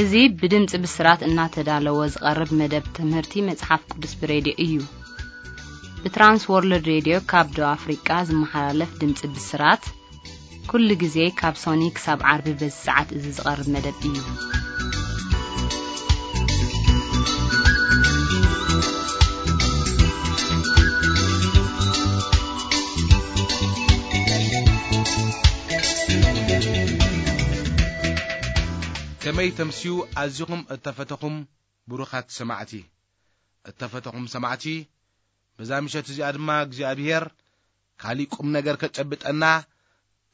እዚ ብድምፂ ብስራት እናተዳለወ ዝቐርብ መደብ ትምህርቲ መጽሓፍ ቅዱስ ብሬድዮ እዩ። ብትራንስ ወርልድ ሬድዮ ካብ ደቡብ ኣፍሪቃ ዝመሓላለፍ ድምፂ ብስራት፣ ኩሉ ግዜ ካብ ሶኒ ክሳብ ዓርቢ በዚ ሰዓት እዚ ዝቐርብ መደብ እዩ። ከመይ ተምስዩ ኣዚኹም እተፈተኹም ብሩኻት ሰማዕቲ። እተፈተኹም ሰማዕቲ፣ በዛ ምሸት እዚኣ ድማ እግዚኣብሔር ካሊእ ቁም ነገር ከጨብጠና፣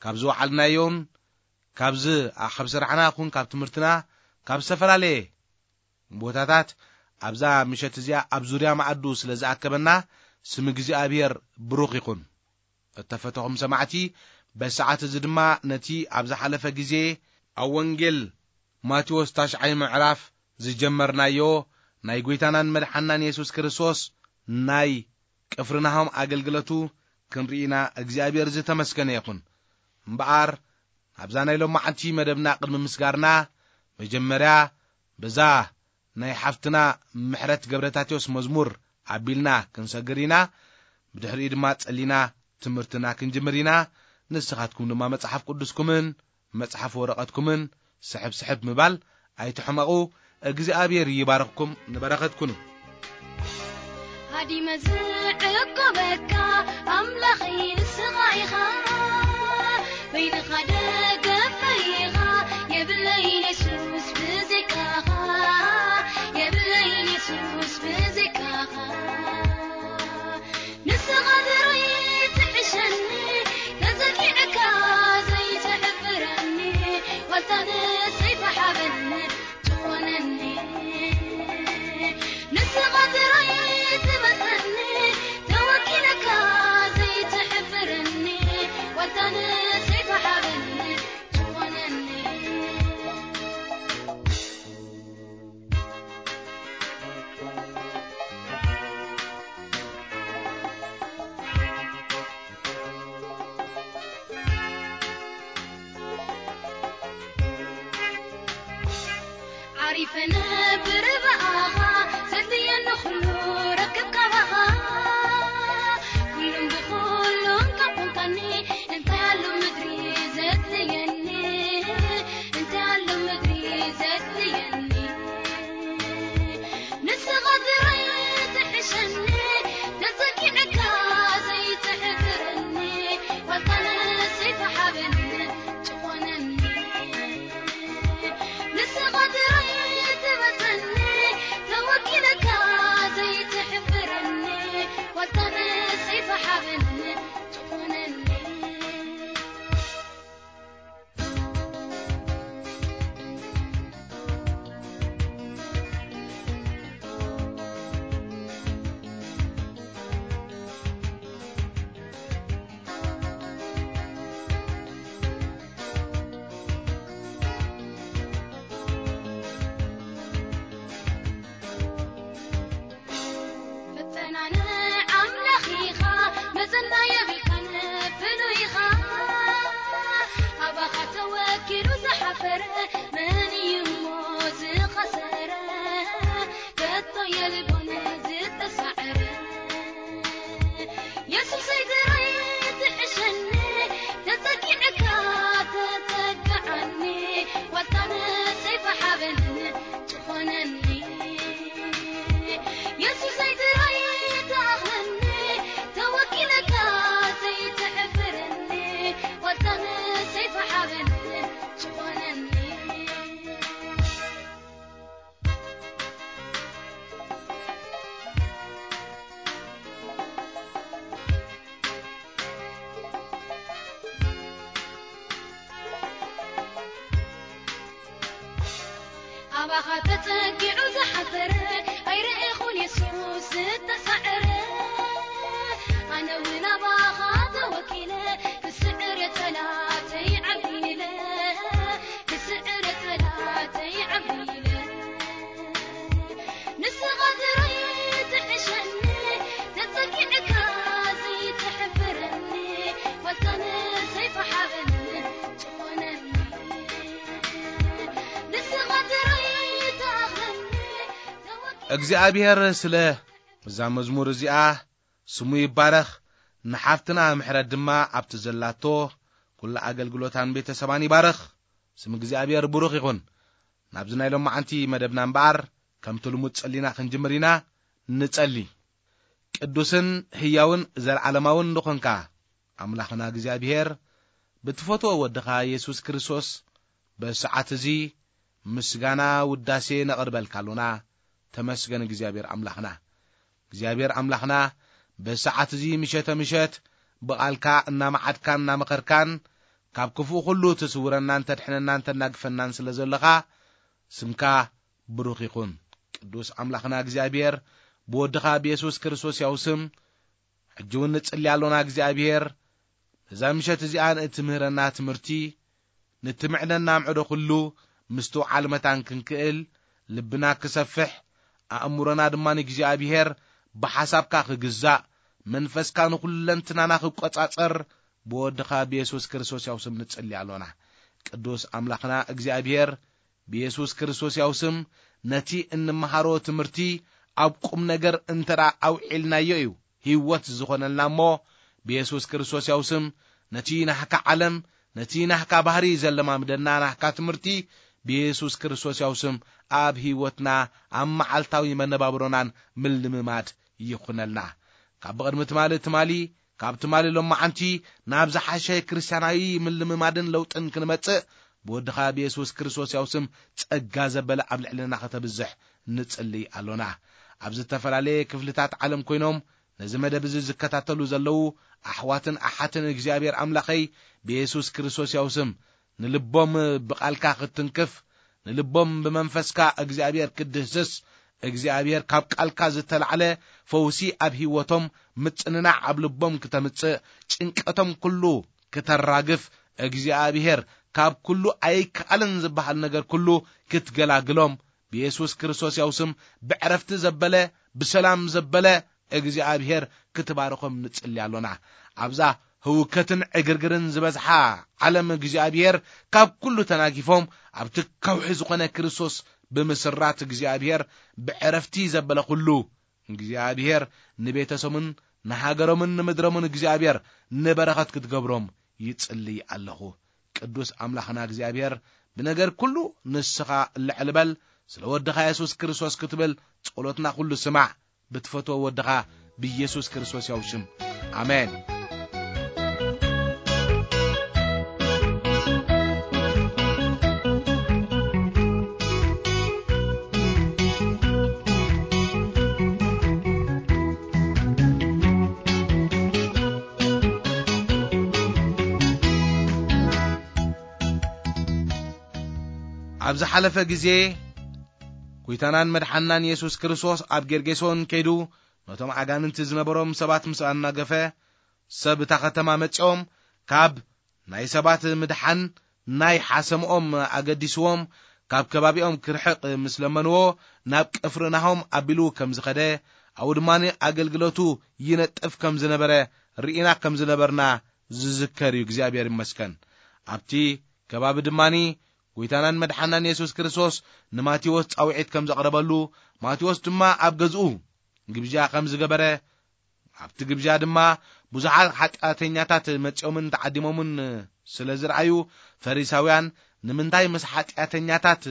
ካብ ዝወዓልናዮን ካብዚ ኣ-፣ ካብ ስራሕና ኹን ካብ ትምህርትና፣ ካብ ዝተፈላለየ ቦታታት ኣብዛ ምሸት እዚኣ ኣብ ዙርያ መኣዱ ስለ ዝኣከበና፣ ስም እግዚኣብሔር ብሩኽ ይኹን። እተፈተኹም ሰማዕቲ፣ በሰዓት እዚ ድማ ነቲ ኣብ ዝሓለፈ ግዜ ኣብ ወንጌል ማቴዎስ ታሽዓይ ምዕራፍ ዝጀመርናዮ ናይ ጐይታናን መድሓናን የሱስ ክርስቶስ ናይ ቅፍርናሆም ኣገልግለቱ ክንርኢና እግዚኣብሔር ዝተመስገነ ይኹን። እምበኣር፣ ናብዛ ናይ ሎማዓንቲ መደብና ቅድሚ ምስጋርና፣ መጀመርያ በዛ ናይ ሓፍትና ምሕረት ገብረታቴዎስ መዝሙር ኣቢልና ክንሰግር ኢና። ብድሕሪኡ ድማ ጸሊና ትምህርትና ክንጅምር ኢና። ንስኻትኩም ድማ መጽሓፍ ቅዱስኩምን መጽሓፍ ወረቐትኩምን ስሕብ ስሕብ ምባል ኣይትሕመቑ። እግዚኣብሔር ይባርኽኩም፣ ንበረኸት ኩኑ። ሃዲመ ዝዕቆበካ ኣምላኸይ ንስኻ ኢኻ፣ በይንኻ ደገፈይ ኢኻ፣ የብለይን የሱስ ብዘይካኻ፣ የብለይን የሱስ ብዘይካኻ። ንስኻ ጥራይ ትሕሸኒ፣ ተጸጊዕካ ዘይትሕፍረኒ፣ ዋልታ ንሰይፊ ሓበኒ ትኾነኒ። ንስኻ ጥራይ ትበልጸኒ፣ ተወኪለካ ዘይትሕፍረኒ፣ ዋልታ ንሰይፊ ሓበኒ ትኾነኒ። ዓሪፈ ነብር ብኣኻ፣ ዘድልየኒ ኩሉ ረክብ ካባኻ። ኩሉን ብኹሉን ካብ ኮንካኒ፣ እንታይ ኣሎ ምድሪ ዘድልየኒ? እንታይ ኣሎ ምድሪ ዘድልየኒ? ንስኻ ጥራይ ትሕሸኒ፣ ተጸጊዕካ ዘይትሕፍረኒ፣ ዋልታ ንሰይፊ ሓበኒ ትኾነኒ። ንስኻ ጥራይ ትበልጸኒ፣ ተወኪለካ ዘይትሕፍረኒ፣ ዋልታ ንሰይፊ ሓበኒ ትኾነኒ። ፈተና ንኣምላኽ ኢኻ፣ መዘና የብልካን ፍሉይ ኢኻ። ኣባኻ ተወኪሉ ዝሓፈረ፣ መን እዩ እሞ ዝኸሰረ? ከቶ የልቦን ዝተሳዕረ። የሱሰይ ጥራይ ትሕሸኒ፣ ተጸጊዕካ ተጸግዓኒ፣ ዋልታ ንሰይፊ ሓበኒ ትኾነኒ። የሱሰይ ጥራይ ትኣኽለኒ፣ ተወኪለካ ዘይትሕፍረኒ፣ ዋልታ ንሰይፊ ሓበኒ ትኾነኒ። ኣባኻ ተጸጊዑ ዝሓፈረ ኣይረኤኹን የሱስ ዝተሳዕረ። ኣነ እውን ኣባኻ ተወኪለ ክስዕር የጸላተይ ዓቢለ፣ ክስዕር የጸላተይ ዓቢለ። ንስኻ ጥራይ ትሕሸኒ፣ ተጸጊዕካ ዘይትሕፍረኒ፣ ዋልታ ንሰይፊ ሓበኒ ትኾነኒ። ንስኻ ጥራይ እግዚኣብሔር ስለ እዛ መዝሙር እዚኣ ስሙ ይባረኽ። ንሓፍትና ምሕረት ድማ ኣብቲ ዘላቶ ኩሉ ኣገልግሎታን ቤተሰባን ይባረኽ። ስም እግዚኣብሔር ብሩኽ ይኹን። ናብዚ ናይ ሎማዓንቲ መደብና እምበኣር ከምቲ ልሙድ ጸሊና ክንጅምር ኢና። ንጸሊ። ቅዱስን ህያውን ዘለዓለማውን ዝኾንካ ኣምላኽና እግዚኣብሔር፣ ብትፈትዎ ወድኻ የሱስ ክርስቶስ በዚ ሰዓት እዚ ምስጋና ውዳሴ ነቕርበልካ ኣሎና። ተመስገን እግዚኣብሔር ኣምላኽና። እግዚኣብሔር ኣምላኽና በዚ ሰዓት እዚ ምሸተ ምሸት ብቓልካ እናመዓድካን እናመኸርካን ካብ ክፉእ ኩሉ ትስውረናን ተድሕነናን ተናግፈናን ስለ ዘለኻ ስምካ ብሩኽ ይኹን። ቅዱስ ኣምላኽና እግዚኣብሔር ብወድኻ ብየሱስ ክርስቶስ ያው ስም ሕጂ እውን ንጽሊ ኣሎና እግዚኣብሔር ነዛ ምሸት እዚኣ ንእትምህረና ትምህርቲ ንትምዕደና ምዕዶ ኩሉ ምስትውዓል መታን ክንክእል ልብና ክሰፍሕ ኣእምሮና ድማ ንእግዚኣብሔር ብሓሳብካ ክግዛእ መንፈስካ ንኹለንትናና ክቆጻጸር ብወድኻ ብየሱስ ክርስቶስ ያው ስም ንጽሊ ኣሎና። ቅዱስ ኣምላኽና እግዚኣብሔር ብየሱስ ክርስቶስ ያው ስም ነቲ እንመሃሮ ትምህርቲ ኣብ ቁም ነገር እንተ ደኣ ኣውዒልናዮ እዩ ህይወት ዝኾነልና እሞ ብየሱስ ክርስቶስ ያው ስም ነቲ ናህካ ዓለም ነቲ ናህካ ባህሪ ዘለማምደና ናህካ ትምህርቲ ብየሱስ ክርስቶስ ያው ስም ኣብ ህይወትና ኣብ መዓልታዊ መነባብሮናን ምልምማድ ይኹነልና። ካብ ብቕድሚ ትማሊ ትማሊ ካብ ትማሊ ሎማዓንቲ ናብ ዝሓሸ ክርስትያናዊ ምልምማድን ለውጥን ክንመጽእ ብወድኻ ብየሱስ ክርስቶስ ያው ስም ጸጋ ዘበለ ኣብ ልዕልና ከተብዝሕ ንጽልይ ኣሎና። ኣብ ዝተፈላለየ ክፍልታት ዓለም ኮይኖም ነዚ መደብ እዚ ዝከታተሉ ዘለዉ ኣሕዋትን ኣሓትን እግዚኣብሔር ኣምላኸይ ብየሱስ ክርስቶስ ያው ስም ንልቦም ብቓልካ ክትትንክፍ ንልቦም ብመንፈስካ እግዚኣብሔር ክትድህስስ እግዚኣብሔር ካብ ቃልካ ዝተላዕለ ፈውሲ ኣብ ህይወቶም ምጽንናዕ ኣብ ልቦም ክተምጽእ ጭንቀቶም ኩሉ ክተራግፍ እግዚኣብሔር ካብ ኩሉ ኣይከኣልን ዝበሃል ነገር ኩሉ ክትገላግሎም ብየሱስ ክርስቶስ ያው ስም ብዕረፍቲ ዘበለ ብሰላም ዘበለ እግዚኣብሔር ክትባርኾም ንጽሊ ኣሎና። ኣብዛ ህውከትን ዕግርግርን ዝበዝሓ ዓለም እግዚኣብሔር ካብ ኩሉ ተናጊፎም ኣብቲ ከውሒ ዝኾነ ክርስቶስ ብምስራት እግዚኣብሔር ብዕረፍቲ ዘበለ ኩሉ እግዚኣብሔር ንቤተሰቡን ንሃገሮምን ንምድሮምን እግዚኣብሔር ንበረኸት ክትገብሮም ይጽልይ ኣለኹ። ቅዱስ ኣምላኽና እግዚኣብሔር ብነገር ኩሉ ንስኻ ልዕል በል። ስለ ወድኻ የሱስ ክርስቶስ ክትብል ጸሎትና ኩሉ ስማዕ። ብትፈትዎ ወድኻ ብኢየሱስ ክርስቶስ ያው ሽም። ኣሜን። ኣብ ዝሓለፈ ግዜ፣ ጐይታናን መድሓንናን የሱስ ክርስቶስ ኣብ ጌርጌሶን ከይዱ፣ ነቶም ኣጋንንቲ ዝነበሮም ሰባት ምስ ኣናገፈ፣ ሰብ እታ ኸተማ መጺኦም፣ ካብ ናይ ሰባት ምድሓን ናይ ሓሰምኦም ኣገዲስዎም፣ ካብ ከባቢኦም ክርሕቕ ምስ ለመንዎ፣ ናብ ቅፍርናሆም ኣቢሉ ከም ዝኸደ፣ ኣብኡ ድማ ኣገልግሎቱ ይነጥፍ ከም ዝነበረ ርኢና ከም ዝነበርና ዝዝከር እዩ። እግዚኣብሔር ይመስገን። ኣብቲ ከባቢ ድማ ጐይታናን መድሓናን የሱስ ክርስቶስ ንማቴዎስ ጻውዒት ከም ዘቕረበሉ፣ ማቴዎስ ድማ ኣብ ገዝኡ ግብዣ ከም ዝገበረ፣ ኣብቲ ግብዣ ድማ ብዙሓት ሓጢኣተኛታት መጺኦምን ተዓዲሞምን ስለ ዝረኣዩ፣ ፈሪሳውያን ንምንታይ ምስ ሓጢኣተኛታት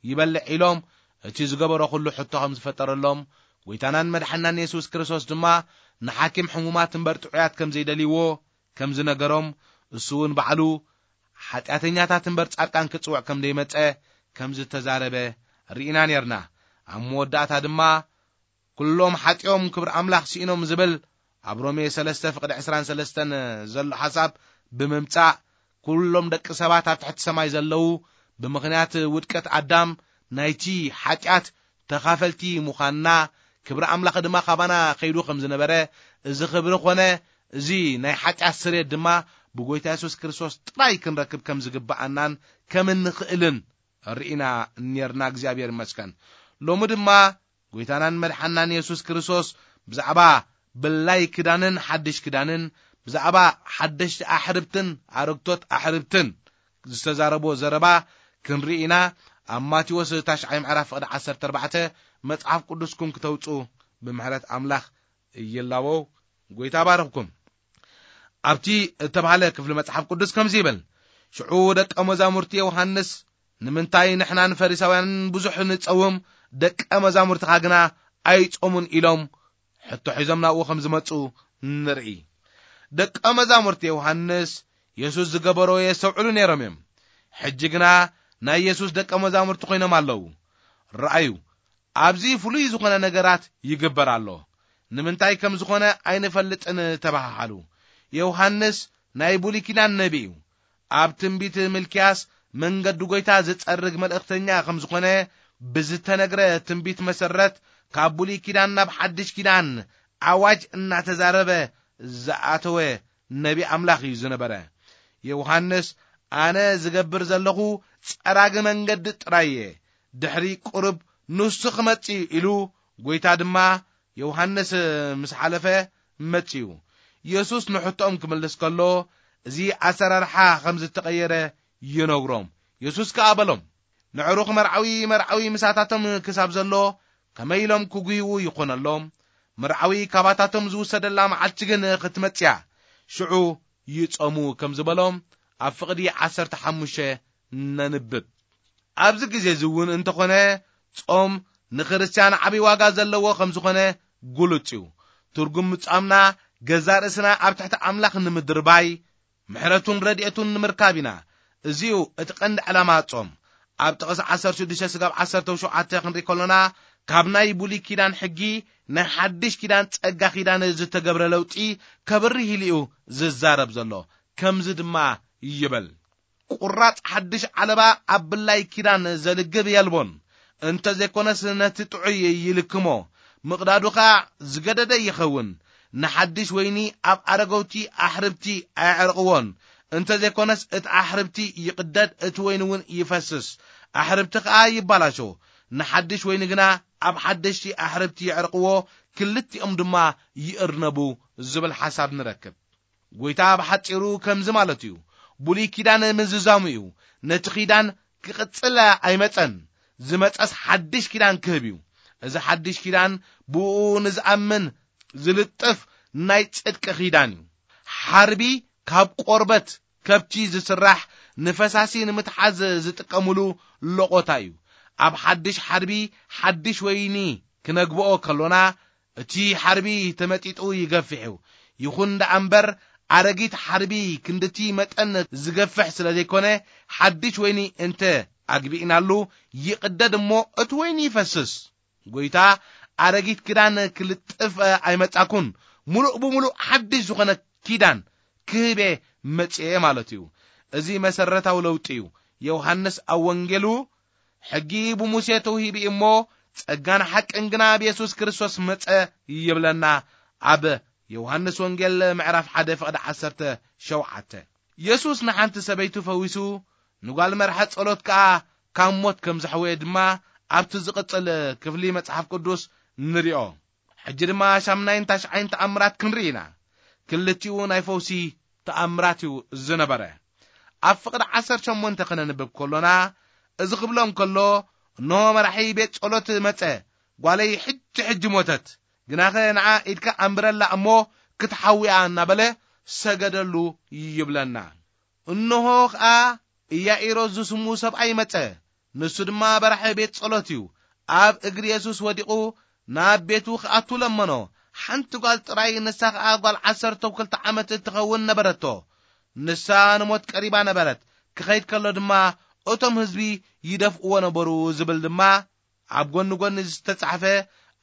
ይበልዕ ኢሎም እቲ ዝገበሮ ኩሉ ሕቶ ከም ዝፈጠረሎም፣ ጐይታናን መድሓናን የሱስ ክርስቶስ ድማ ንሓኪም ሕሙማት እምበር ጥዑያት ከም ዘይደልይዎ ከም ዝነገሮም፣ እሱ እውን ባዕሉ ሓጢኣተኛታት እምበር ጻድቃን ክጽውዕ ከም ዘይመጸ ከም ዝተዛረበ ርኢና ኔርና። ኣብ መወዳእታ ድማ፣ "ኩሎም ሓጢኦም ክብሪ ኣምላኽ ስኢኖም" ዝብል ኣብ ሮሜ ሰለስተ ፍቕዲ ዕስራን ሰለስተን ዘሎ ሓሳብ ብምምጻእ፣ ኩሎም ደቂ ሰባት ኣብ ትሕቲ ሰማይ ዘለዉ ብምኽንያት ውድቀት ኣዳም ናይቲ ሓጢኣት ተኻፈልቲ ምዃንና፣ ክብሪ ኣምላኽ ድማ ካባና ከይዱ ከም ዝነበረ፣ እዚ ክብሪ ኾነ እዚ ናይ ሓጢኣት ስርየት ድማ ብጎይታ የሱስ ክርስቶስ ጥራይ ክንረክብ ከም ዝግብኣናን ከም እንኽእልን ርኢና ኔርና። እግዚኣብሔር ይመስገን። ሎሚ ድማ ጎይታናን መድሓናን የሱስ ክርስቶስ ብዛዕባ ብላይ ክዳንን ሓድሽ ክዳንን፣ ብዛዕባ ሓደሽቲ ኣሕርብትን ኣረግቶት ኣሕርብትን ዝተዛረቦ ዘረባ ክንርኢ ኢና። ኣብ ማቴዎስ ታሽዓይ ምዕራፍ ፍቕዲ ዓሰርተ ኣርባዕተ መጽሓፍ ቅዱስኩም ክተውጹ ብምሕረት ኣምላኽ ይላበው። ጎይታ ባረኽኩም። ኣብቲ እተባህለ ክፍሊ መጽሓፍ ቅዱስ ከምዚ ይብል፣ ሽዑ ደቀ መዛሙርቲ ዮሃንስ፣ "ንምንታይ ንሕናን ፈሪሳውያንን ብዙሕ ንጸውም፣ ደቀ መዛሙርትኻ ግና ኣይጾሙን?" ኢሎም ሕቶ ሒዞም ናብኡ ከም ዝመጹ ንርኢ። ደቀ መዛሙርቲ ዮሃንስ የሱስ ዝገበሮ የስተውዕሉ ነይሮም እዮም። ሕጂ ግና ናይ የሱስ ደቀ መዛሙርቲ ኮይኖም ኣለዉ። ረኣዩ፣ ኣብዚ ፍሉይ ዝኾነ ነገራት ይግበር ኣሎ። ንምንታይ ከም ዝኾነ ኣይንፈልጥን ተባሃሃሉ። ዮሃንስ ናይ ብሉይ ኪዳን ነቢ እዩ። ኣብ ትንቢት ሚልክያስ መንገዲ ጎይታ ዝጸርግ መልእኽተኛ ከም ዝኾነ ብዝተነግረ ትንቢት መሰረት፣ ካብ ብሉይ ኪዳን ናብ ሓድሽ ኪዳን ኣዋጅ እናተዛረበ ዝኣተወ ነቢ ኣምላኽ እዩ ዝነበረ። ዮሃንስ፣ "ኣነ ዝገብር ዘለኹ ጸራጊ መንገዲ ጥራይ እየ፣ ድሕሪ ቁሩብ ንሱ ክመጽእ እዩ" ኢሉ፣ ጎይታ ድማ ዮሃንስ ምስ ሓለፈ መጽኡ። የሱስ ንሕቶኦም ክምልስ ከሎ፣ እዚ ኣሰራርሓ ከም ዝተቐየረ ይነግሮም። የሱስ ከኣ በሎም፣ "ንዕሩኽ መርዓዊ መርዓዊ ምሳታቶም ክሳብ ዘሎ ከመይ ኢሎም ክጉህይዉ ይኾነሎም? መርዓዊ ካባታቶም ዝውሰደላ መዓልቲ ግን ክትመጽእ እያ፣ ሽዑ ይጾሙ" ከም ዝበሎም ኣብ ፍቕዲ ዓሰርተ ሓሙሽተ ነንብብ። ኣብዚ ግዜ እዚ እውን እንተኾነ፣ ጾም ንክርስትያን ዓብዪ ዋጋ ዘለዎ ከም ዝኾነ ግሉጽ እዩ። ትርጉም ምጻምና፣ ገዛ ርእስና ኣብ ትሕቲ ኣምላኽ ንምድርባይ፣ ምሕረቱን ረድኤቱን ንምርካብ ኢና። እዚዩ እቲ ቀንዲ ዕላማ ጾም። ኣብ ጥቕሲ ዓሰርተ ሽዱሽተ ስጋብ ዓሰርተ ሸውዓተ ክንርኢ ከሎና፣ ካብ ናይ ብሉይ ኪዳን ሕጊ ናይ ሓድሽ ኪዳን ጸጋ ኪዳን ዝተገብረ ለውጢ ከብርህ ኢሉ እዩ ዝዛረብ ዘሎ። ከምዚ ድማ ይብል፣ "ቁራጽ ሓድሽ ዓለባ ኣብ ብላይ ኪዳን ዘልግብ የልቦን፣ እንተ ዘይኮነስ ነቲ ጥዑይ ይልክሞ፣ ምቕዳዱ ኸኣ ዝገደደ ይኸውን። ንሓድሽ ወይኒ ኣብ ኣረገውቲ ኣሕርብቲ ኣየዕርቕዎን፣ እንተ ዘይኮነስ እቲ ኣሕርብቲ ይቕደድ፣ እቲ ወይኒ እውን ይፈስስ፣ ኣሕርብቲ ኸኣ ይባላሾ። ንሓድሽ ወይኒ ግና ኣብ ሓደሽቲ ኣሕርብቲ የዕርቕዎ፣ ክልቲኦም ድማ ይእርነቡ" ዝብል ሓሳብ ንረክብ። ጎይታ ብሓጺሩ ከምዚ ማለት እዩ። ብሉይ ኪዳን ምዝዛሙ እዩ። ነቲ ኪዳን ክቕጽል ኣይመጸን። ዝመጸስ ሓድሽ ኪዳን ክህብ እዩ። እዚ ሓድሽ ኪዳን ብኡ ንዝኣምን ዝልጥፍ ናይ ጽድቂ ኪዳን እዩ። ሓርቢ ካብ ቆርበት ከብቲ ዝስራሕ፣ ንፈሳሲ ንምትሓዝ ዝጥቀምሉ ሎቖታ እዩ። ኣብ ሓድሽ ሓርቢ ሓድሽ ወይኒ ክነግብኦ ከሎና፣ እቲ ሓርቢ ተመጢጡ ይገፍሕ እዩ። ይኹን ደኣ እምበር፣ ኣረጊት ሓርቢ ክንድቲ መጠን ዝገፍሕ ስለ ዘይኮነ፣ ሓድሽ ወይኒ እንተ ኣግቢእናሉ፣ ይቕደድ እሞ እቲ ወይኒ ይፈስስ። ጎይታ ኣረጊት ኪዳን ክልጥፍ ኣይመጻኩን፣ ምሉእ ብምሉእ ሓድሽ ዝኾነ ኪዳን ክህቤ መጽኤ ማለት እዩ። እዚ መሰረታዊ ለውጢ እዩ። ዮሃንስ ኣብ ወንጌሉ፣ "ሕጊ ብሙሴ ተውሂቡ እሞ፣ ጸጋን ሓቅን ግና ብየሱስ ክርስቶስ መጸ" ይብለና፣ ኣብ ዮሃንስ ወንጌል ምዕራፍ ሓደ ፍቕዲ ዓሰርተ ሸውዓተ። የሱስ ንሓንቲ ሰበይቲ ፈዊሱ፣ ንጓል መርሐ ጸሎት ከኣ ካብ ሞት ከም ዘሕወየ ድማ ኣብቲ ዝቕጽል ክፍሊ መጽሓፍ ቅዱስ ንሪኦ። ሕጂ ድማ ሻምናይን ታሽዓይን ተኣምራት ክንርኢ ኢና። ክልቲኡ ናይ ፈውሲ ተኣምራት እዩ ዝነበረ። ኣብ ፍቕዲ ዓሰርተ ሸሞንተ ከነንብብ ከሎና፣ እዚ ክብሎም ከሎ፣ "እንሆ መራሒ ቤት ጸሎት መጸ፣ ጓለይ ሕጂ ሕጂ ሞተት፣ ግናኸ ንዓ ኢድካ ኣንብረላ እሞ ክትሓውያ" እናበለ ሰገደሉ ይብለና። እንሆ ኸኣ ኢያኢሮስ ዝስሙ ሰብኣይ መጸ፣ ንሱ ድማ በራሒ ቤት ጸሎት እዩ። ኣብ እግሪ የሱስ ወዲቑ ናብ ቤቱ ክኣቱ ለመኖ። ሓንቲ ጓል ጥራይ፣ ንሳ ኸኣ ጓል ዓሰርተ ክልተ ዓመት እትኸውን ነበረቶ። ንሳ ንሞት ቀሪባ ነበረት። ክኸይድ ከሎ ድማ እቶም ህዝቢ ይደፍእዎ ነበሩ ዝብል ድማ ኣብ ጎኒ ጎኒ ዝተጻሕፈ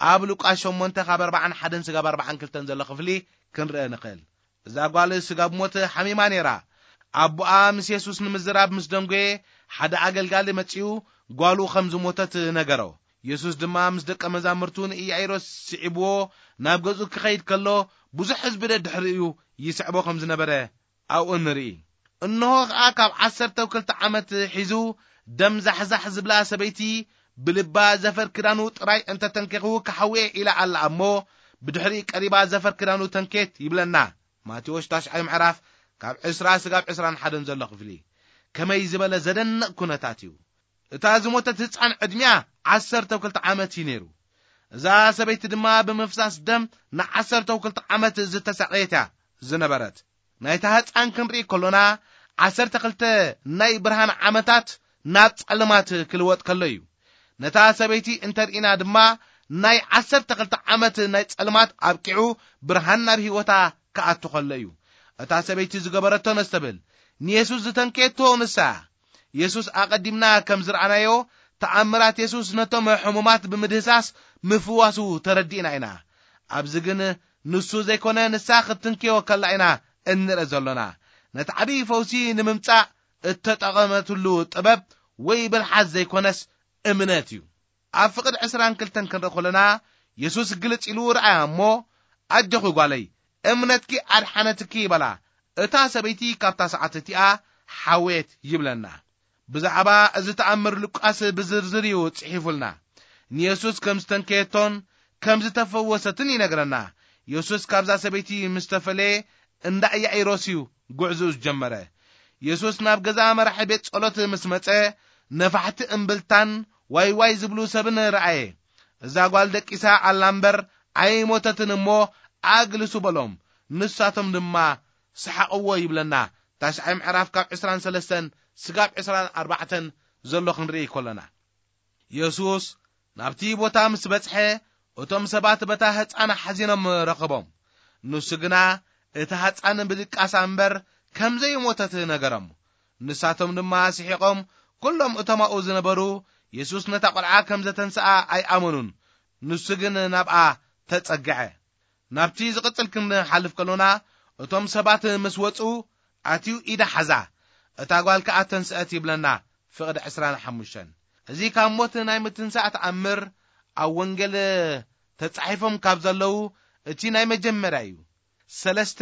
ኣብ ሉቃስ ሸሞንተ ካብ ኣርባዓን ሓደን ስጋብ ኣርባዓን ክልተን ዘሎ ክፍሊ ክንርእ ንኽእል። እዛ ጓል ስጋብ ሞት ሓሚማ ነይራ። ኣቦኣ ምስ የሱስ ንምዝራብ ምስ ደንጎየ፣ ሓደ ኣገልጋሊ መጺኡ ጓሉ ከም ዝሞተት ነገሮ። የሱስ ድማ ምስ ደቀ መዛሙርቱ ንኢያኢሮስ ስዒብዎ ናብ ገዝኡ ክኸይድ ከሎ፣ ብዙሕ ህዝቢ ደድሕሪኡ ይስዕቦ ከም ዝነበረ ኣብኡ ንርኢ። እንሆ ኸኣ ካብ ዓሰርተ ክልተ ዓመት ሒዙ ደም ዛሕዛሕ ዝብላ ሰበይቲ ብልባ ዘፈር ክዳኑ ጥራይ እንተ ተንኬኽዉ ክሓውየ ኢላ ኣላ እሞ፣ ብድሕሪ ቀሪባ ዘፈር ክዳኑ ተንኬት ይብለና። ማቴዎስ ታሽዓይ ምዕራፍ ካብ ዕስራ ስጋብ ዕስራን ሓደን ዘሎ ክፍሊ። ከመይ ዝበለ ዘደንቕ ኩነታት እዩ! እታ ዝሞተት ህጻን ዕድሚኣ ዓሰርተ ክልተ ዓመት እዩ ነይሩ። እዛ ሰበይቲ ድማ ብምፍሳስ ደም ንዓሰርተ ክልተ ዓመት ዝተሳቐየት እያ ዝነበረት። ናይታ ህፃን ክንርኢ ከሎና፣ ዓሰርተ ክልተ ናይ ብርሃን ዓመታት ናብ ጸልማት ክልወጥ ከሎ እዩ። ነታ ሰበይቲ እንተርኢና ድማ፣ ናይ ዓሰርተ ክልተ ዓመት ናይ ጸልማት ኣብቂዑ፣ ብርሃን ናብ ህይወታ ክኣቱ ከሎ እዩ። እታ ሰበይቲ ዝገበረቶ ነስተብል፣ ንየሱስ ዝተንከየቶ ንሳ እያ። የሱስ ኣቐዲምና ከም ዝረኣናዮ፣ ተኣምራት የሱስ ነቶም ሕሙማት ብምድህሳስ ምፍዋሱ ተረዲእና ኢና። ኣብዚ ግን ንሱ ዘይኮነ ንሳ ክትንክዮ ከላ ኢና እንርኢ ዘሎና። ነቲ ዓብዪ ፈውሲ ንምምጻእ እተጠቐመትሉ ጥበብ ወይ ብልሓት ዘይኮነስ እምነት እዩ። ኣብ ፍቕዲ ዕስራን ክልተን ክንርኢ ከለና፣ የሱስ ግልጽ ኢሉ ረኣያ እሞ፣ "ኣጆኺ ጓለይ፣ እምነትኪ ኣድሓነትኪ" ይበላ። እታ ሰበይቲ ካብታ ሰዓት እቲኣ ሓወየት ይብለና። ብዛዕባ እዚ ተኣምር ሉቃስ ብዝርዝር እዩ ጽሒፉልና። ንየሱስ ከም ዝተንከየቶን ከም ዝተፈወሰትን ይነግረና። የሱስ ካብዛ ሰበይቲ ምስ ተፈለየ፣ እንዳ ኢያኢሮስ እዩ ጉዕዞኡ ዝጀመረ። የሱስ ናብ ገዛ መራሒ ቤት ጸሎት ምስ መጸ፣ ነፋሕቲ እምብልታን ዋይ ዋይ ዝብሉ ሰብን ረኣየ። "እዛ ጓል ደቂሳ ኣላ እምበር ኣይሞተትን እሞ ኣግልሱ" በሎም። ንሳቶም ድማ ሰሓቕዎ ይብለና። ታሽዓይ ምዕራፍ ካብ ዕስራን ሰለስተን ስጋብ ዕስራን ኣርባዕተን ዘሎ ክንርኢ ከለና፣ የሱስ ናብቲ ቦታ ምስ በጽሐ፣ እቶም ሰባት በታ ህጻን ሓዚኖም ረኸቦም። ንሱ ግና እቲ ህጻን ብድቃሳ እምበር ከም ዘይሞተት ነገሮም። ንሳቶም ድማ ስሒቖም፣ ኩሎም እቶም ኣብኡ ዝነበሩ፣ የሱስ ነታ ቆልዓ ከም ዘተንስኣ ኣይኣመኑን። ንሱ ግን ናብኣ ተጸግዐ። ናብቲ ዝቕጽል ክንሓልፍ ከሎና፣ እቶም ሰባት ምስ ወጹ፣ ኣትዩ ኢዳ ሓዛ፣ እታ ጓል ከኣ ተንስአት ይብለና ፍቕዲ ዕስራን ሓሙሽተን። እዚ ካብ ሞት ናይ ምትንሳእ ተኣምር ኣብ ወንጌል ተጻሒፎም ካብ ዘለዉ እቲ ናይ መጀመርያ እዩ። ሰለስተ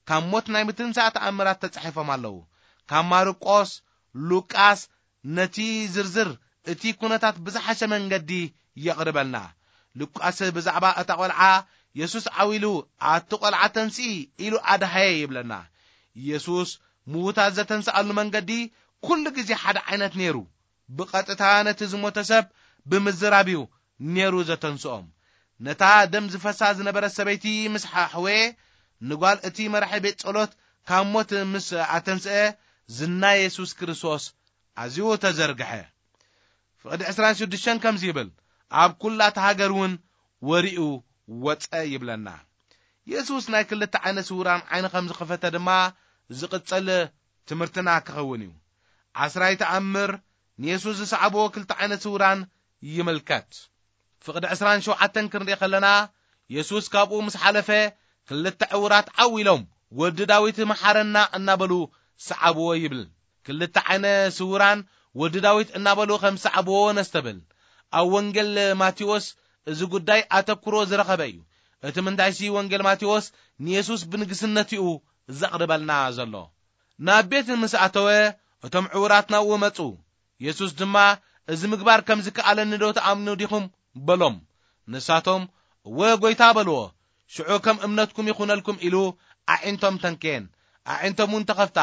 ካብ ሞት ናይ ምትንሳእ ተኣምራት ተጻሒፎም ኣለዉ። ካብ ማርቆስ፣ ሉቃስ ነቲ ዝርዝር እቲ ኩነታት ብዝሓሸ መንገዲ የቕርበልና። ሉቃስ ብዛዕባ እታ ቈልዓ፣ "የሱስ ዓው ኢሉ፣ ኣቲ ቈልዓ ተንስኢ" ኢሉ ኣድሃየ ይብለና። የሱስ ምዉታት ዘተንስኣሉ መንገዲ ኩሉ ግዜ ሓደ ዓይነት ነይሩ። ብቐጥታ ነቲ ዝሞተ ሰብ ብምዝራብ እዩ ነይሩ ዘተንስኦም። ነታ ደም ዝፈሳ ዝነበረት ሰበይቲ ምስ ሓሕወየ፣ ንጓል እቲ መራሒ ቤት ጸሎት ካብ ሞት ምስ ኣተንስአ፣ ዝና የሱስ ክርስቶስ ኣዝዩ ተዘርግሐ። ፍቕዲ ዕስራን ሽዱሽተን ከምዚ ይብል፣ ኣብ ኩላ እታ ሃገር እውን ወሪኡ ወጸ ይብለና። የሱስ ናይ ክልተ ዓይነት ስውራን ዓይኒ ከም ዝኸፈተ ድማ ዝቕጽል ትምህርትና ክኸውን እዩ። ዓስራይ ተኣምር ንየሱስ ዝሰዓብዎ ክልተ ዓይነት ስውራን ይምልከት። ፍቕዲ ዕስራን ሸውዓተን ክንርኢ ከለና፣ የሱስ ካብኡ ምስ ሓለፈ፣ ክልተ ዕውራት ዓው ኢሎም፣ "ወዲ ዳዊት መሓረና" እናበሉ ሰዓብዎ ይብል። ክልተ ዓይነ ስውራን ወዲ ዳዊት እናበሉ ከም ሰዓብዎ ነስተብል። ኣብ ወንጌል ማቴዎስ እዚ ጉዳይ ኣተኩሮ ዝረኸበ እዩ። እቲ ምንዳይሲ ወንጌል ማቴዎስ ንየሱስ ብንግስነቱ እዩ ዘቕርበልና ዘሎ። ናብ ቤት ምስ ኣተወ፣ እቶም ዕውራት ናብኡ መጹ። የሱስ ድማ፣ "እዚ ምግባር ከም ዝከኣለኒ ዶ ትኣምኑ ዲኹም?" በሎም። ንሳቶም፣ "እወ ጐይታ" በልዎ። ሽዑ "ከም እምነትኩም ይኹነልኩም" ኢሉ ኣዒንቶም ተንከየን። ኣዒንቶም እውን ተኸፍታ።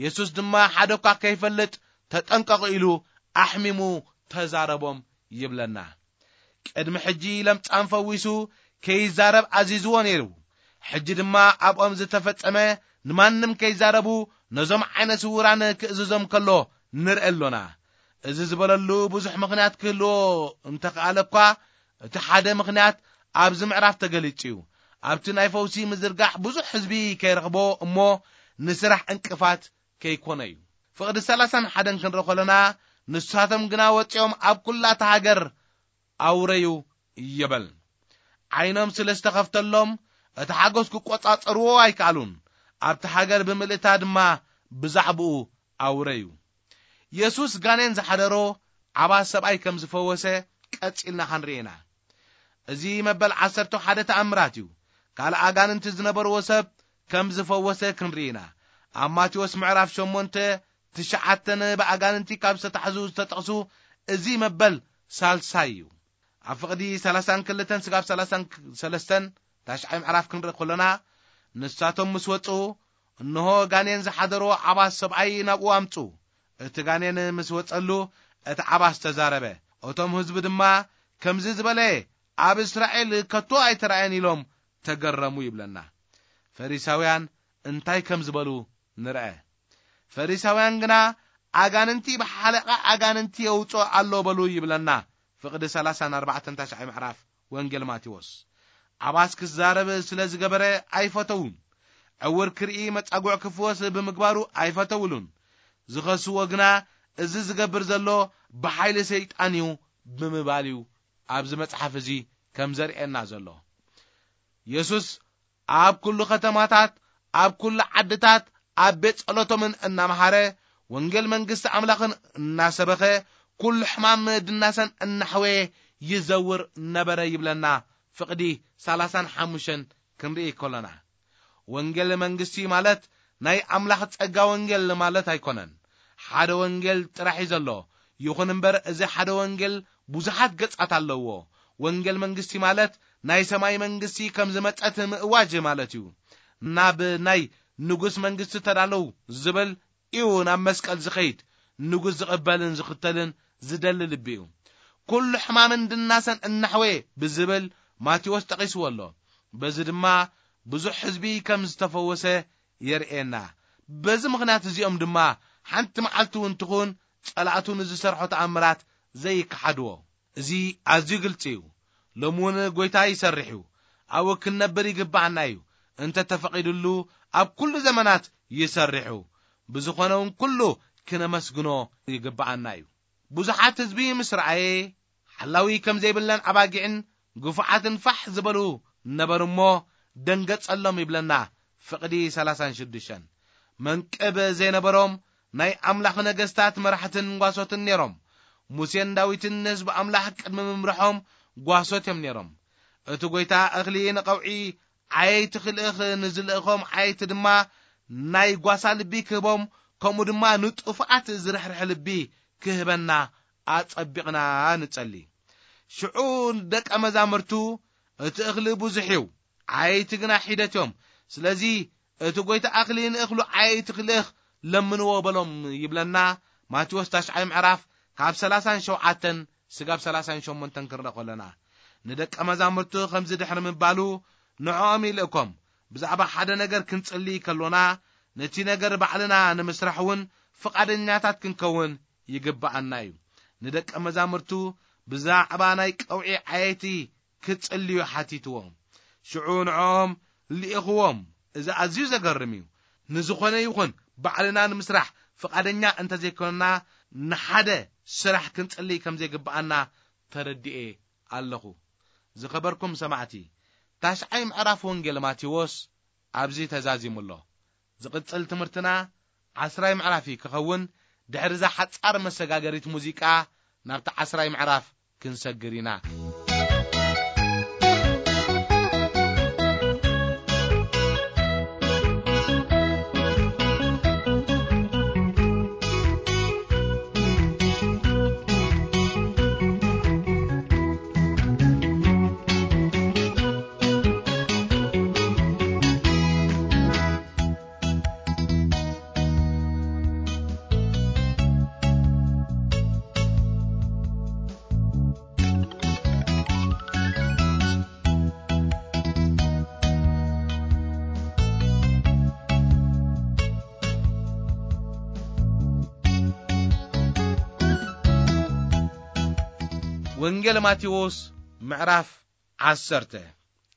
የሱስ ድማ፣ "ሓደ እኳ ከይፈልጥ ተጠንቀቑ" ኢሉ ኣሕሚሙ ተዛረቦም ይብለና። ቅድሚ ሕጂ ለምጻም ፈዊሱ ከይዛረብ ኣዚዝዎ ነይሩ። ሕጂ ድማ ኣብኦም ዝተፈጸመ ንማንም ከይዛረቡ ነዞም ዓይነ ስውራን ክእዝዞም ከሎ ንርኢ ኣሎና። እዚ ዝበለሉ ብዙሕ ምኽንያት ክህልዎ እንተኸኣለ እኳ፣ እቲ ሓደ ምኽንያት ኣብዚ ምዕራፍ ተገሊጹ እዩ። ኣብቲ ናይ ፈውሲ ምዝርጋሕ ብዙሕ ህዝቢ ከይረኽቦ እሞ ንስራሕ ዕንቅፋት ከይኮነ እዩ። ፍቕዲ ሰላሳን ሓደን ክንርኢ ከለና፣ "ንሳቶም ግና ወጺኦም ኣብ ኩላ እታ ሃገር ኣውረዩ" ይብል። ዓይኖም ስለ ዝተኸፍተሎም፣ እቲ ሓጎስ ክቆጻጸርዎ ኣይከኣሉን። ኣብቲ ሃገር ብምልእታ ድማ ብዛዕባኡ ኣውረዩ። የሱስ ጋኔን ዝሓደሮ ዓባት ሰብኣይ ከም ዝፈወሰ ቀጺልና ክንርኢ ኢና። እዚ መበል ዓሰርተ ሓደ ተኣምራት እዩ። ካልእ ኣጋንንቲ ዝነበርዎ ሰብ ከም ዝፈወሰ ክንርኢ ኢና። ኣብ ማቴዎስ ምዕራፍ ሸሞንተ ትሽዓተን ብኣጋንንቲ ካብ ዝተታሕዙ ዝተጠቕሱ፣ እዚ መበል ሳልሳይ እዩ። ኣብ ፍቕዲ ሰላሳን ክልተን ስጋብ ሰላሳን ሰለስተን ታሽዓይ ምዕራፍ ክንርኢ ከሎና፣ ንሳቶም ምስ ወጹ፣ እንሆ ጋኔን ዝሓደሮ ዓባስ ሰብኣይ ናብኡ ኣምጹ። እቲ ጋኔን ምስ ወጸሉ፣ እቲ ዓባስ ተዛረበ። እቶም ህዝቢ ድማ፣ "ከምዚ ዝበለ ኣብ እስራኤል ከቶ ኣይተራእየን ኢሎም ተገረሙ ይብለና። ፈሪሳውያን እንታይ ከም ዝበሉ ንርአ። ፈሪሳውያን ግና ኣጋንንቲ ብሓለቓ ኣጋንንቲ የውፅኦ ኣሎ በሉ ይብለና። ፍቕዲ ሰላሳን ኣርባዕተን ታሽዓይ ምዕራፍ ወንጌል ማቴዎስ። ኣባስ ክዛረብ ስለ ዝገበረ ኣይፈተውን። ዕውር ክርኢ መጻጉዕ ክፍወስ ብምግባሩ ኣይፈተውሉን። ዝኸስዎ ግና እዚ ዝገብር ዘሎ ብሓይሊ ሰይጣን እዩ ብምባል እዩ ኣብዚ መጽሓፍ እዚ ከም ዘርእየና ዘሎ። የሱስ ኣብ ኩሉ ከተማታት፣ ኣብ ኩሉ ዓድታት፣ ኣብ ቤት ጸሎቶምን እናመሃረ ወንጌል መንግስቲ ኣምላኽን እናሰበኸ ኩሉ ሕማም ድናሰን እናሕወየ ይዘውር ነበረ ይብለና። ፍቕዲ ሰላሳን ሓሙሽተን ክንርኢ ከሎና፣ ወንጌል መንግስቲ ማለት ናይ ኣምላኽ ጸጋ ወንጌል ማለት ኣይኮነን። ሓደ ወንጌል ጥራሕ እዩ ዘሎ። ይኹን እምበር እዚ ሓደ ወንጌል ብዙሓት ገጻት ኣለዎ። ወንጌል መንግስቲ ማለት ናይ ሰማይ መንግስቲ ከም ዝመጸት ምእዋጅ ማለት እዩ። ናብ ናይ ንጉስ መንግስቲ ተዳለዉ ዝብል እዩ ናብ መስቀል ዝኸይድ፣ ንጉስ ዝቕበልን ዝኽተልን ዝደሊ ልቢ እዩ። ኩሉ ሕማምን ድናሰን እናሕወየ ብዝብል ማቴዎስ ጠቒስዎ ኣሎ። በዚ ድማ ብዙሕ ህዝቢ ከም ዝተፈወሰ የርእየና። በዚ ምኽንያት እዚኦም ድማ ሓንቲ መዓልቲ እውን ትኹን ጸላእቱ ንዝሰርሖ ተኣምራት ዘይከሓድዎ። እዚ ኣዝዩ ግልጺ እዩ። ሎሚ እውን ጐይታ ይሰርሕ እዩ። ኣብኡ ክንነብር ይግብኣና እዩ። እንተ ተፈቒዱሉ ኣብ ኩሉ ዘመናት ይሰርሕ እዩ። ብዝኾነ እውን ኩሉ ክነመስግኖ ይግብኣና እዩ። ብዙሓት ህዝቢ ምስ ረኣየ ሓላዊ ከም ዘይብለን ኣባጊዕን ግፉዓትን ፋሕ ዝበሉ ነበሩ እሞ ደንገጸሎም ይብለና ፍቕዲ ሰላሳን ሽዱሽተን። መንቅብ ዘይነበሮም ናይ ኣምላኽ ነገስታት መራሕትን ጓሶትን ነይሮም። ሙሴን ዳዊትን ንህዝቢ ኣምላኽ ቅድሚ ምምርሖም ጓሶት እዮም ነይሮም። እቲ ጐይታ እኽሊ ንቐውዒ ዓየይቲ ክልእኽ፣ ንዝልእኾም ዓየይቲ ድማ ናይ ጓሳ ልቢ ክህቦም፣ ከምኡ ድማ ንጥፉኣት ዝርሕርሕ ልቢ ክህበና ኣጸቢቕና ንጸሊ። ሽዑ ደቀ መዛሙርቱ፣ "እቲ እኽሊ ብዙሕ እዩ፣ ዓየይቲ ግና ሒደት እዮም። ስለዚ እቲ ጐይታ እኽሊ ንእኽሉ ዓየይቲ ክልእኽ ለምንዎ" በሎም ይብለና ማቴዎስ ታሽዓይ ምዕራፍ ካብ ሰላሳን ሸውዓተን ስጋብ ሰላሳን ሸሞንተን ክንርኢ ከለና። ንደቀ መዛሙርቱ ከምዚ ድሕሪ ምባሉ ንዕኦም ይልእኮም። ብዛዕባ ሓደ ነገር ክንጽሊ ከሎና ነቲ ነገር ባዕልና ንምስራሕ እውን ፍቓደኛታት ክንከውን ይግብኣና እዩ። ንደቀ መዛሙርቱ ብዛዕባ ናይ ቀውዒ ዓየይቲ ክጽልዩ ሓቲትዎም። ሽዑ ንዕኦም ልኢኽዎም። እዚ ኣዝዩ ዘገርም እዩ። ንዝኾነ ይኹን ባዕልና ንምስራሕ ፍቓደኛ እንተዘይኮንና ንሓደ ስራሕ ክንጽሊ ከም ዘይግብኣና ተረዲኤ ኣለኹ። ዝኸበርኩም ሰማዕቲ፣ ታሽዓይ ምዕራፍ ወንጌል ማቴዎስ ኣብዚ ተዛዚሙ ኣሎ። ዝቕጽል ትምህርትና ዓስራይ ምዕራፍ እዩ ክኸውን። ድሕሪ እዛ ሓጻር መሰጋገሪት ሙዚቃ ናብቲ ዓስራይ ምዕራፍ ክንሰግር ኢና። ወንጌል ማቴዎስ ምዕራፍ ዓሰርተ።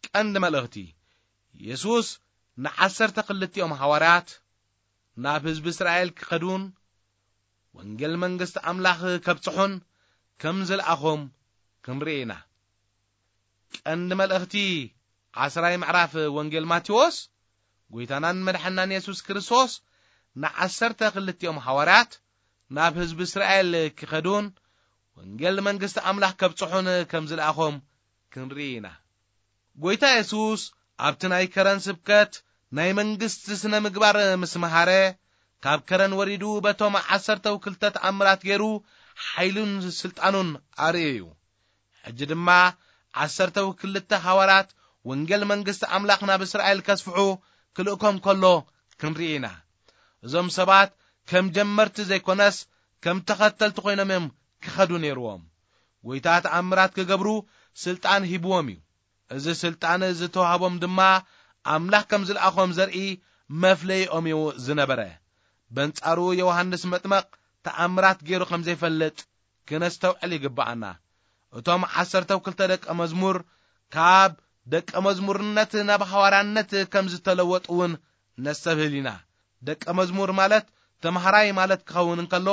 ቀንዲ መልእኽቲ። የሱስ ንዓሰርተ ክልቲኦም ሃዋርያት ናብ ህዝቢ እስራኤል ክኸዱን ወንጌል መንግስቲ ኣምላኽ ከብጽሑን ከም ዝለኣኾም ክንርኢ ኢና። ቀንዲ መልእኽቲ ዓስራይ ምዕራፍ ወንጌል ማቴዎስ፣ ጐይታናን መድሓናን የሱስ ክርስቶስ ንዓሰርተ ክልቲኦም ሃዋርያት ናብ ህዝቢ እስራኤል ክኸዱን ወንጌል መንግስቲ ኣምላኽ ከብጽሑን ከም ዝለኣኾም ክንርኢ ኢና። ጐይታ የሱስ ኣብቲ ናይ ከረን ስብከት ናይ መንግስቲ ስነ ምግባር ምስ መሃረ፣ ካብ ከረን ወሪዱ በቶም ዓሰርተው ክልተ ተኣምራት ገይሩ ሓይሉን ስልጣኑን ኣርእዩ እዩ። ሕጂ ድማ ዓሰርተው ክልተ ሃዋርያት ወንጌል መንግስቲ ኣምላኽ ናብ እስራኤል ከስፍሑ ክልእኮም ከሎ ክንርኢ ኢና። እዞም ሰባት ከም ጀመርቲ ዘይኮነስ ከም ተኸተልቲ ኮይኖም እዮም ክኸዱ ነይርዎም። ጐይታ ተኣምራት ክገብሩ ስልጣን ሂብዎም እዩ። እዚ ስልጣን ዝተዋህቦም ድማ ኣምላኽ ከም ዝለኣኾም ዘርኢ መፍለይኦም እዩ ዝነበረ። በንጻሩ ዮሃንስ መጥመቕ ተኣምራት ገይሩ ከም ዘይፈልጥ ክነስተውዕል ይግብኣና። እቶም ዓሰርተ ክልተ ደቀ መዝሙር ካብ ደቀ መዝሙርነት ናብ ሃዋርያነት ከም ዝተለወጡ እውን ነስተብህል ኢና። ደቀ መዝሙር ማለት ተምሃራይ ማለት ክኸውን እንከሎ፣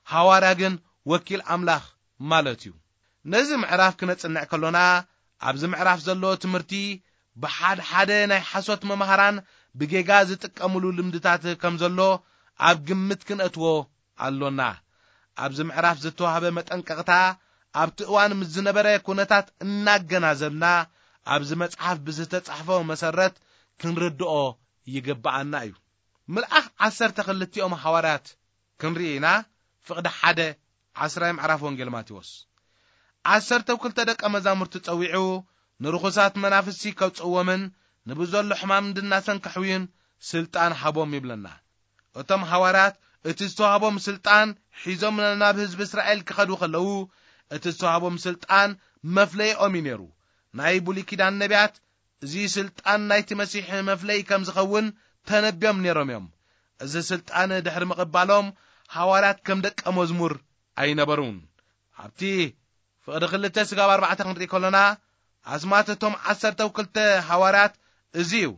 ሃዋርያ ግን ወኪል ኣምላኽ ማለት እዩ። ነዚ ምዕራፍ ክነጽንዕ ከሎና፣ ኣብዚ ምዕራፍ ዘሎ ትምህርቲ ብሓድ ሓደ ናይ ሓሶት መምሃራን ብጌጋ ዝጥቀምሉ ልምድታት ከም ዘሎ ኣብ ግምት ክንእትዎ ኣሎና። ኣብዚ ምዕራፍ ዝተዋህበ መጠንቀቕታ ኣብቲ እዋን ምስ ዝነበረ ኩነታት እናገናዘብና፣ ኣብዚ መጽሓፍ ብዝተጻሕፈ መሰረት ክንርድኦ ይግብኣና እዩ። ምልኣኽ ዓሰርተ ክልቲኦም ሃዋርያት ክንርኢ ኢና። ፍቕዲ ሓደ፣ ዓስራይ ምዕራፍ ወንጌል ማቴዎስ። ዓሰርተ ክልተ ደቀ መዛሙርቲ ጸዊዑ፣ ንርኹሳት መናፍስቲ ከውጽእዎምን ንብዘሎ ሕማም እንድናሰን ከሕውዩን ስልጣን ሃቦም ይብለና። እቶም ሃዋርያት እቲ ዝተዋህቦም ስልጣን ሒዞም ናብ ህዝቢ እስራኤል ክኸዱ ከለዉ፣ እቲ ዝተዋህቦም ስልጣን መፍለይኦም እዩ ነይሩ። ናይ ብሉይ ኪዳን ነቢያት እዚ ስልጣን ናይቲ መሲሕ መፍለይ ከም ዝኸውን ተነብዮም ነይሮም እዮም። እዚ ስልጣን ድሕሪ ምቕባሎም፣ ሃዋርያት ከም ደቀ መዝሙር ኣይነበሩን። ኣብቲ ፍቕዲ ክልተ ስጋብ ኣርባዕተ ክንርኢ ከሎና፣ ኣስማት እቶም ዓሰርተ ክልተ ሃዋርያት እዚ እዩ።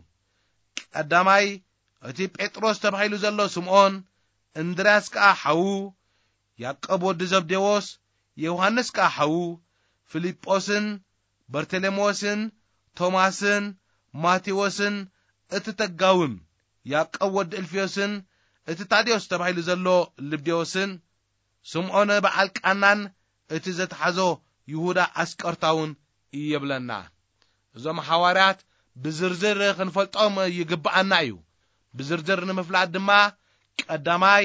ቀዳማይ፣ እቲ ጴጥሮስ ተባሂሉ ዘሎ ስምዖን፣ እንድርያስ ከኣ ሓዉ፣ ያዕቆብ ወዲ ዘብዴዎስ፣ ዮሃንስ ከኣ ሓዉ፣ ፊልጶስን፣ በርተሎሜዎስን፣ ቶማስን፣ ማቴዎስን፣ እቲ ተጋውን፣ ያዕቆብ ወዲ እልፍዮስን፣ እቲ ታዴዎስ ተባሂሉ ዘሎ ልብዴዎስን፣ ስምዖን በዓል ቃናን፣ እቲ ዘተሓዞ ይሁዳ ኣስቆርታውን ይብለና። እዞም ሃዋርያት ብዝርዝር ክንፈልጦም ይግብኣና እዩ። ብዝርዝር ንምፍላጥ ድማ፣ ቀዳማይ፣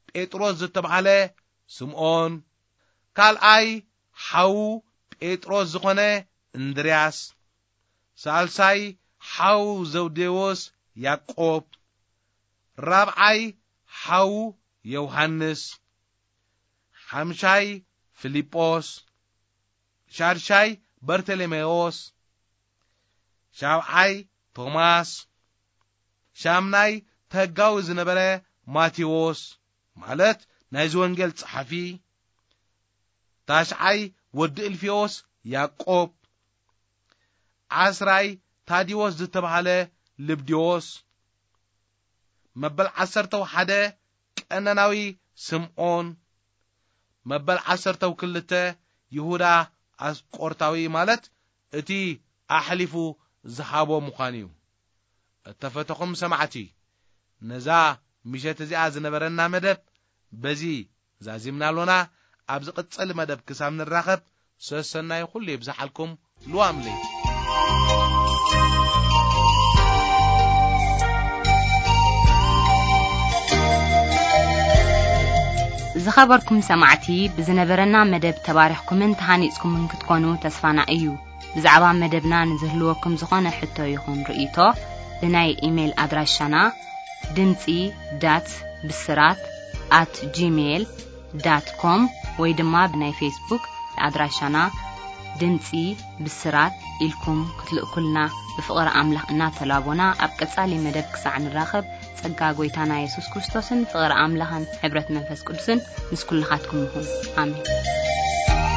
ጴጥሮስ ዝተባህለ ስምዖን፣ ካልኣይ፣ ሓዉ ጴጥሮስ ዝኾነ እንድርያስ፣ ሳልሳይ፣ ሓዉ ዘብዴዎስ ያዕቆብ፣ ራብዓይ፣ ሓዉ ዮሃንስ፣ ሓምሻይ፣ ፊልጶስ፣ ሻድሻይ፣ በርተሎሜዎስ፣ ሻብዓይ፣ ቶማስ፣ ሻምናይ፣ ተጋዊ ዝነበረ ማቴዎስ፣ ማለት ናይዚ ወንጌል ጸሓፊ፣ ታሽዓይ፣ ወዲ እልፍዮስ ያዕቆብ፣ ዓስራይ፣ ታዲዎስ ዝተባህለ ልብድዮስ፣ መበል ዓሰርተው ሓደ፣ ቀነናዊ ስምዖን፣ መበል ዓሰርተው ክልተ፣ ይሁዳ ኣስቆርታዊ፣ ማለት እቲ ኣሕሊፉ ዝሃቦ ምዃኑ እዩ። እተፈተኹም ሰማዕቲ፣ ነዛ ምሸት እዚኣ ዝነበረና መደብ በዚ ዛዚምና ኣሎና። ኣብ ዝቕጽል መደብ ክሳብ ንራኸብ፣ ሰሰናይ ኩሉ ይብዝሓልኩም። ልዋም ለይቲ። ዝኸበርኩም ሰማዕቲ፣ ብዝነበረና መደብ ተባሪኽኩምን ተሃኒጽኩምን ክትኮኑ ተስፋና እዩ። ብዛዕባ መደብና ንዝህልወኩም ዝኾነ ሕቶ ይኹን ርእይቶ፣ ብናይ ኢሜይል ኣድራሻና ድምጺ ዳት ብስራት ኣት ጂሜይል ዳት ኮም ወይ ድማ ብናይ ፌስቡክ ኣድራሻና ድምጺ ብስራት ኢልኩም ክትልእኩልና ብፍቕሪ ኣምላኽ እናተላቦና፣ ኣብ ቀጻሊ መደብ ክሳዕ ንራኸብ፣ ጸጋ ጐይታና የሱስ ክርስቶስን ፍቕሪ ኣምላኽን ሕብረት መንፈስ ቅዱስን ምስ ኩልኻትኩም ይኹን። ኣሜን።